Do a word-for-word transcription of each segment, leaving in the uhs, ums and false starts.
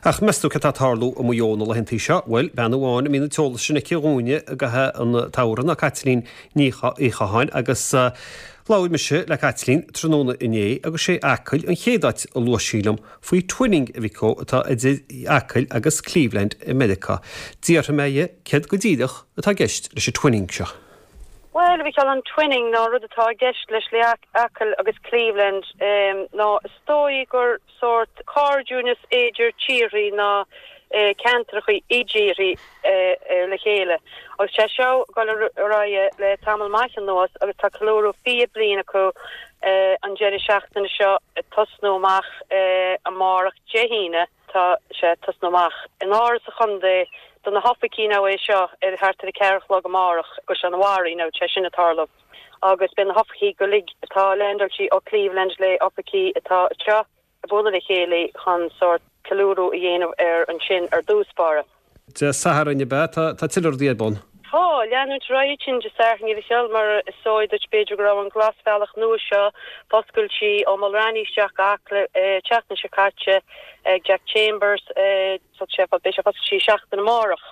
Ach meas tú cad tá ag tarlú i Maigh Eo na laethanta seo? Bhuel, bean amháin a mbíonn an t-eolas sin aici dhúinne i gcaitheamh an tsamhraidh ná Caitlín Ní Chatháin agus labhair mise le Caitlín tráthnóna inné agus sé Acaill an chéad áit a luaigh sí liom faoi twinning a bhí atá idir Acaill agus Cleveland i Meiriceá. D'fhiafraigh mé dhe céard go díreach atá i gceist leis an twinning seo. Well, bhí an twinning ná rud atá i gceist leis le Acaill agus Cleveland um, ná is dóigh gur sórt cairdiúnas idir tíortha ná eh, ceantracha i dtíortha eh, eh, le chéile. Agus sé seo go raibh le tamall maith anuas agus tá ceiliúradh fiche bliain acu eh, an deireadh seachtaine seo tosnú amach eh, amárach Dé hAoine tá sé tosnú amach. In Áras an Chontae do na hoifigí ná é seo ar thart ar a ceathair a chlog amárach go an bhairí nó sé sin tarlú. Agus beidh na hoifigí go léir atá leaindeáilte ó Cleveland le hoifigí atá seo ag bualadh le chéile chun sórt ceiliúradh a dhéanamh ar an sin ar dtús báire. Dé Sathairn be tá tuilleadh rudaí ar bun. Tá leanúint réitin de Sathairn bhí mar is dóigh duit b'fhéidir go raibh an glasbhealach nua seo foscailte ó Mulranny isteach le teachna se caite ag Jack Chambers sé be sé sí seachtain amárach.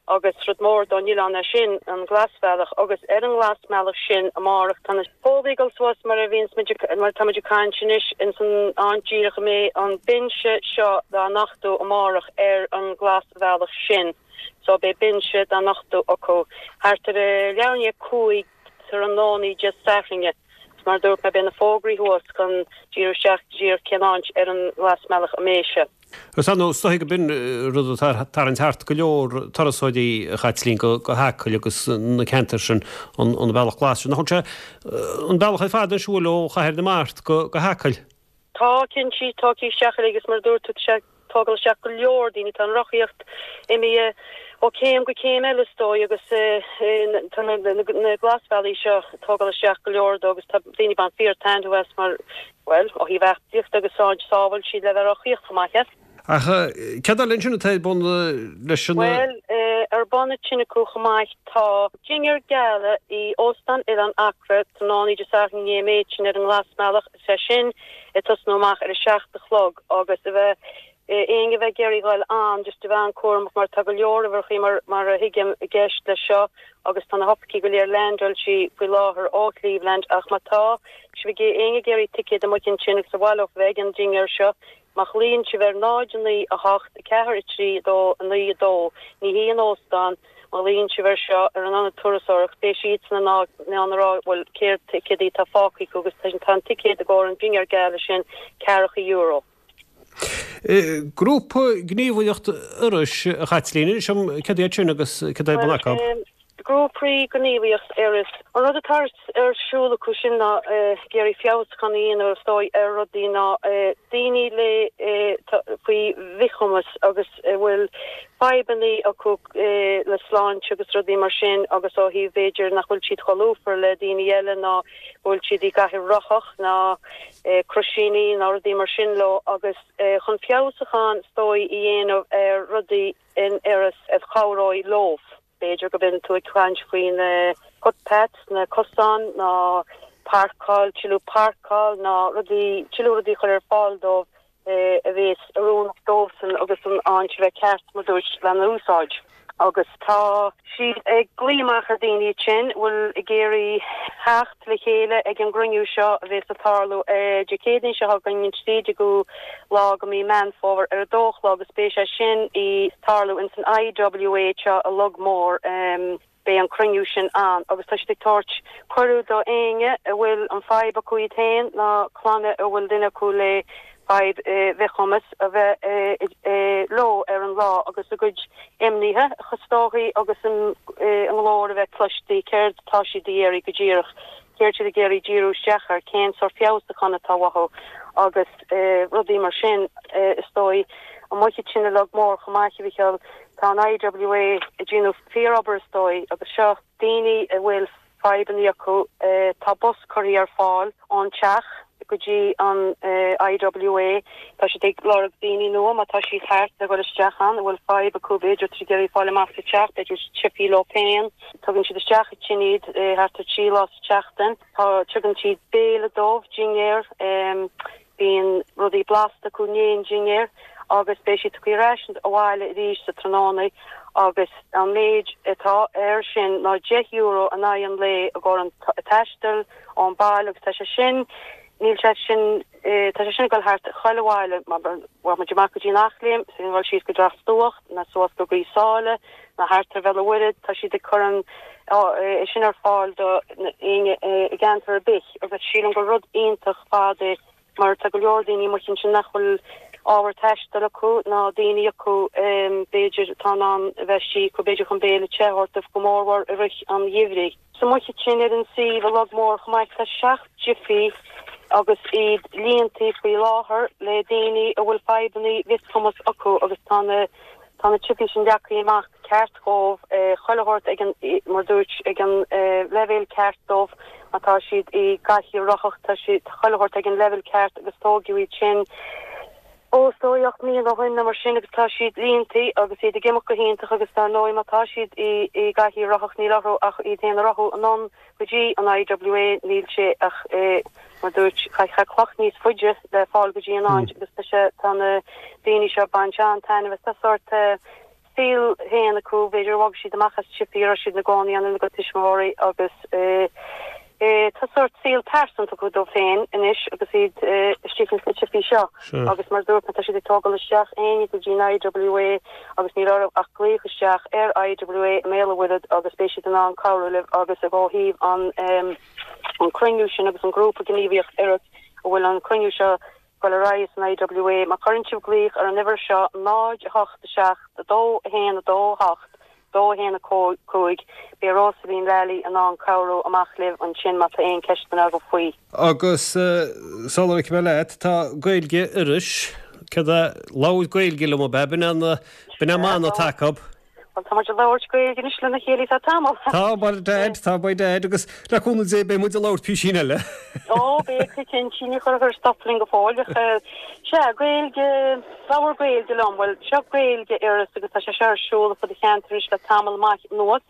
agus rud mór don oileán é sin an glasbhealach agus ar an nglasbhealach sin amárach tá na fógraí suas mar a bhíonn mar tá cainteanna in san an-díreach mé an binse seo dá nochtadh amárach ar an glasbhealach sin. So beidh binse dá nochtadh acu thart ar leathuair i ndiaidh a cúig tráthnóna Dé Sathairn. Mar dúirt mé beidh na fógraí thuas chun díriú isteach díreach cén áit ar an nglasbhealach a mbeidh sé. Agus an is dóigh go b'in rud tarraingt thart go leor turasóirí Chaitlín go go hAcaill agus na ceantair sin an an bealach glas sin. Nach sé an bealach ar fad an siúl ó Chathair na Mart go go hAcaill. Tá cinnte tá isteach agus mar dúirt tú sé tógáil isteach go leor daoine tá an rothaíocht imithe ó céim go céim eile is dóigh agus tá na glasbhealaí seo tógáil isteach go leor dó agus tá daoine ag baint fíor taitneamh as mar well ó thaobh aclaíocht agus sáid sábháil siad le bheith rothaíocht chomh maith. Ach cad eile sin atá ar bun leis an Well ar bun sin acu chomh maith tá dinnéar gala i Óstán Oileán Acra tráthnóna Dé Sathairn méid sin ar an nglasbhealach sé sin ag tosnú amach ar a seacht a chlog agus a bheith éinne bheith ag iarraidh dul ann just a bheith an-chúramach mar tá go leor uimhreacha mar mar a thuigim i gceist le seo agus tá na hoifigí go léir leaindeáilte faoi láthair ó Cleveland ach má tá sibh ag éinne ag iarraidh ticéad amuigh ansin agus a bhaileoidh bheidh an dinnéar seo má ghlaonn sibh ar náid naoi a hocht ceathair a trí dó naoi dó ní hí an óstán má ghlaonn sibh ar seo ar an ionad turasóireacht beidh siad san ná ná rá bhfuil céard ticéadaí tá fágtha agus tá an ticéad i gcomhair an dinnéar gala sin ceathracha euro. Grúpa gníomhaíocht Iorrais a Chaitlín sem cad iad sin agus cad é bun acu. Grúpaí gníomhaíocht Iorrais. An rud atá ar siúl acu sin ná ag iarraidh feabhas chun dhéanamh is dóigh ar rudaí ná daoine le faoi mhíchumas agus bhfuil fadhbanna acu le sláinte agus rudaí mar sin agus ó thaobh b'fhéidir nach bhfuil siad chomh lúfar le daoine eile ná bhfuil siad i gcathaoir rothach ná croisíní ná rudaí mar sin leo agus chun feabhsúchán is dóigh a dhéanamh ar rudaí in Iorras a chabhróidh leo. B'fhéidir go mbíonn tú ag caint faoi na footpaths na cosáin ná páirceáil tuilleadh páirceáil ná rudaí tuilleadh rudaí chur ar fáil dóibh a bheas oiriúnach dóibhsan agus an áit bheith ceart mar dúirt lena úsáid. Agus tá siad ag glaoch amach ar daoine sin bhfuil ag iarraidh theacht le chéile ag an gcruinniú seo a bheas ag tarlú Dé Céadaoin seo chugainn an trí déagú lá de mhí Meán Fómhair ar a dó a chlog agus beidh sé sin ag tarlú in san IWA seo i Log Mór um, beidh an cruinniú sin ann agus tá siad ag tabhairt cuireadh do éinne a bhfuil an fadhb acu iad féin ná clanna a bhfuil duine acu le fadhb mhíchumas a bheith leo ar an lá agus a gcuid imnithe chostóí agus an nglór a bheith cloiste céard tá siad ag iarraidh go díreach céard siad ag iarraidh díriú isteach ar cén sórt feabhsúchán atá uathu agus rudaí mar sin is dóigh an maiid sinna lag mór chomáche bhícheall tá an IWA ag déanamh fíorobair is dóigh agus seo daoine a bhfuil fadhbanna acu tá bus curtha ar fáil ón teach go dtí an IWA Tá siad ag lorg daoine nua má tá siad thart le dul isteach ann a bhfuil fadhb acu b'fhéidir trí iarraidh fáil amach sa teach b'fhéidir teipthe leo féin tugann siad isteach sin iad thart ar trí lá sa tseachtain Tá tugann siad béile dóibh dinnéar bíonn rudaí blasta acu i ndiaidh an dinnéir agus beidh siad tugtha ar ais abhaile arís sa tráthnóna agus an méid atá air sin ná deich euro in aghaidh an lae i gcomhair an taisteal ón baile agus tá sé sin níl sé sin tá sé sin ag dul thart chuile bhaile mar bhfuil muid amach go dtí an Eachléim, is ag dul síos go Drach Stuach ná suas go Gaoth Sáile ná thart ar Bhéal an Mhuirthead, tá siad ag cur an é sin ar fáil do éinne i gceantar ar bith agus sílim gur rud iontach fad é mar tá go leor daoine amuigh ansin nach bhfuil ábhar taistil acu ná daoine acu b'fhéidir atá in ann a bheith istigh acu b'fhéidir chun béile te a thabhairt dóibh go mórmhór i rith an gheimhridh. So amuigh ansin ar an suíomh i Log Mór chomh maith tá seacht jiffy agus iad líontaí faoi láthair le daoine a bhfuil fadhbanna mhíchumas acu agus tá na Tá na jiffy sin leagtha amach ceart dhóibh, chuile shórt ag an, mar dúirt, ag an leibhéal ceart dóibh, má tá siad i gcathaoir rothach, tá siad, tá chuile shórt ag an leibhéal ceart agus tógadh iad sin ó is dóigh ocht mbliana ó shin nó mar sin agus tá siad líontaí agus iad ag imeacht go hiontach agus dar ndóigh má tá siad i i gcathaoir rothach níl orthu ach iad féin a rothú anonn go dtí an I W A, níl sé ach mar dúirt, caithfidh cloch níos faide le fáil go dtí an áit agus tá sé, tá na daoine seo ag baint an-taitneamh as. Tá sórt saol féin acu, b'fhéidir bhog siad amach as jiffy a raibh siad ina gcónaí ann lena gcuid tuismitheoirí agus tá sórt saol pearsanta acu dóibh féin anois agus iad istigh ins na jiffy seo. Agus mar dúirt mé, tá siad ag tógáil isteach éinne go dtí an I W A agus níl orthu ach glaoch isteach ar I W A i mBéal an Mhuirthead agus beidh siad in ann cabhrú libh agus ó thaobh an an cruinniú sin agus an grúpa gníomhaíocht Iorras a bhfuil an cruinniú seo ag dul ar aghaidh san I W A, má chuireann sibh glaoch ar an uimhir seo náid a hocht seacht dó a haon dó a hocht dó a haon cúig, beidh Rosaleen Lally in ann cabhrú amach libh ansin má tá aon ceisteanna agaibh faoi. Agus sula bhfágfaidh mé leat, tá Gaeilge Iorrais, céard é, labhair Gaeilge liom ab ea, b'in an b'in an mana atá acu. Bhuel, tá muid ag labhairt Gaeilge anois lena chéile tá tamall. Tá by dad, tá by dad, agus le cúnamh Dé beidh muid ag labhairt písín eile. Ó, beidh go cinnte, ní chuirfear stop linn go fóill ach sea, Gaeilge, labhair Gaeilge liom, bhuel, seo Gaeilge Iorras agus tá sé seo ar siúl fud an cheantair anois le tamall maith anuas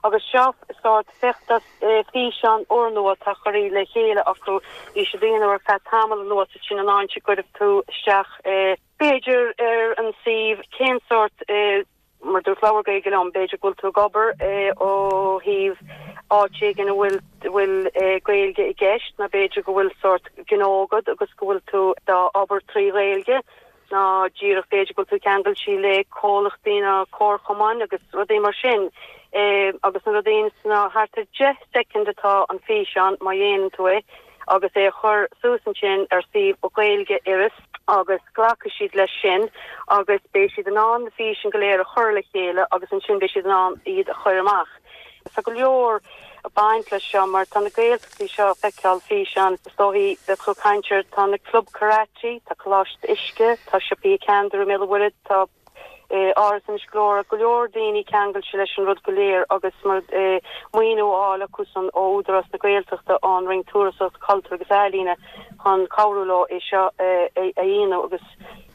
agus seo sórt feachtas físeán úrnua atá curtha le chéile acu, bhí siad á dhéanamh ar feadh tamall anuas sin an áit a gcuirfidh tú isteach b'fhéidir ar an suíomh cén sórt mar dúirt labhair Gaeilge liom, b'fhéidir go bhfuil tú ag obair ó thaobh áit éigin a bhfuil bhfuil Gaeilge i gceist nó b'fhéidir go bhfuil sórt gnó agat agus go bhfuil tú ag obair trí Ghaeilge ná díreach b'fhéidir go bhfuil tú ceangailte le comhlachtaí nó comharchumainn agus rudaí mar sin. Agus na rudaí ná thart ar deich soicind atá an físeán má dhéanann tú é. Agus é a chur suas ansin ar suíomh Gaeilge Iorras agus glacfaidh siad leis sin agus beidh siad in ann na físeáin go léir a chur le chéile agus ansin beidh siad in ann iad a chur amach. Tá go leor ag baint leis seo mar tá na Gaeltachtaí seo ag feiceáil físeán, is dóichí bheadh tú ag caint ar, tá na Club Karate, tá Coláiste Uisce, tá siopaí Ceantar i mBéal an Mhuirthead, tá. Áras Inis Gluaire, go leor daoine ceangailte leis an rud go léir agus mar maoiniú á fháil acusan ó Údarás na Gaeltachta, ón Roinn Turasóireachta, Cultúir agus Ealaíne chun cabhrú leo é seo a dhéanamh agus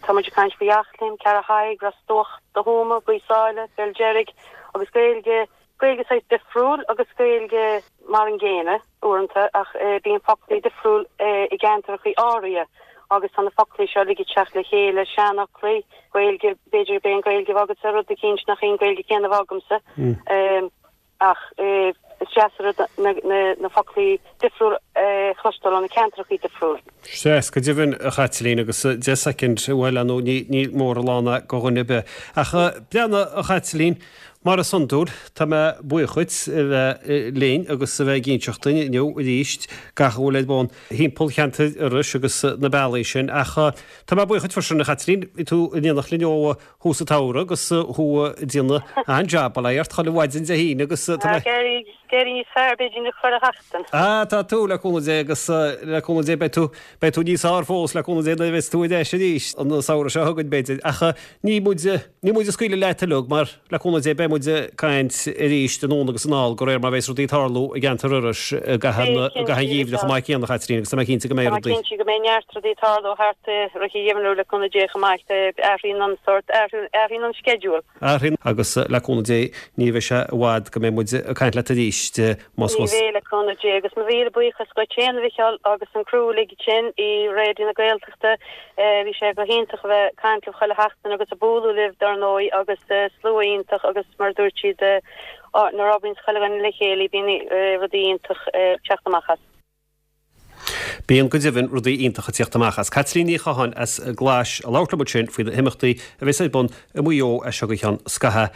tá muid ag caint faoi Eachléim, Ceathrú Thaidhg, Ros Dumhach, Tuama, Gaoth Sáile, Béal Deirg agus Gaeilge, Gaeilge saghas difriúil agus Gaeilge mar an gcéanna uaireanta ach bíonn foclaí difriúil i gceantracha áirithe agus tá na foclaí seo uilig ag teacht le chéile, seanfhoclaí, Gaeilge, b'fhéidir gurb é an Ghaeilge a bheadh agatsa rud eicínt nach í an Ghaeilge chéanna a bheadh agamsa ach is deas an rud na foclaí difriúil a chloisteáil ó na ceantracha difriúil. Sea, go deimhin, a Chaitlín, agus deich soicind, bhuel, ar ndóigh, ní mór a lán é do dhuine ar bith. Ach breathnaigh, a Chaitlín, mar is iondúil, tá mé buíoch dhuit a bheith linn agus a bheith ag inseacht dúinn inniu arís gach a bhfuil ar bun thimpeall cheantar Iorrais agus na bealaí sin. Ach tá mé buíoch dhuit freisin, a Chaitlín, bhí tú in éineacht linn ó thús an tsamhraidh agus thú ag déanamh an-jab, bail ó Dhia ort, chuile mhaidin Dé hAoine agus tá mé. Ag éirí níos fearr b'fhéidir na chuile sheachtain. Ah, tá tú, le cúnamh Dé agus le cúnamh Dé beidh tú, beidh tú níos fearr fós le cúnamh Dé nuair a bheas tú ar ais arís an samhradh seo chugainn b'fhéidir. Ach ní muid, ní muid ag scaoileadh leat uilig mar le cúnamh Dé beidh muid muid ag caint arís anonn agus anall de réir mar a bheas rudaí ag tarlú i gceantar Iorrais i gcaitheamh an gheimhridh chomh maith céanna, a Chaitlín, agus tá mé cinnte go mbeidh rudaí. Tá mé cinnte go mbeidh neart rudaí ag tarlú thart i rith an gheimhridh le cúnamh Dé chomh maith. Athraíonn an sórt, athraíonn an sceideal. Athraíonn agus le cúnamh Dé ní bheidh sé i bhfad go mbeidh muid ag caint leat arís más. Ní bheidh le cúnamh Dé agus mo mhíle buíochas dhuit féin a Mhicheáil agus an criú uilig sin i Raidió na Gaeltachta. Bhí sé go hiontach a bheith ag caint libh chuile sheachtain agus ag bualadh libh dar ndóigh agus slua iontach agus mar a dúirt siad nuair a oibríonn chuile dhuine le chéile bíonn rudaí iontach ag teacht amach as. Bíonn go deimhin rudaí iontacha ag teacht amach as. Caitlín Ní Chatháin as Glais a labhairt liom ansin faoi na himeachtaí a bheas ar bun i Maigh Eo as seo go ceann scaithimh.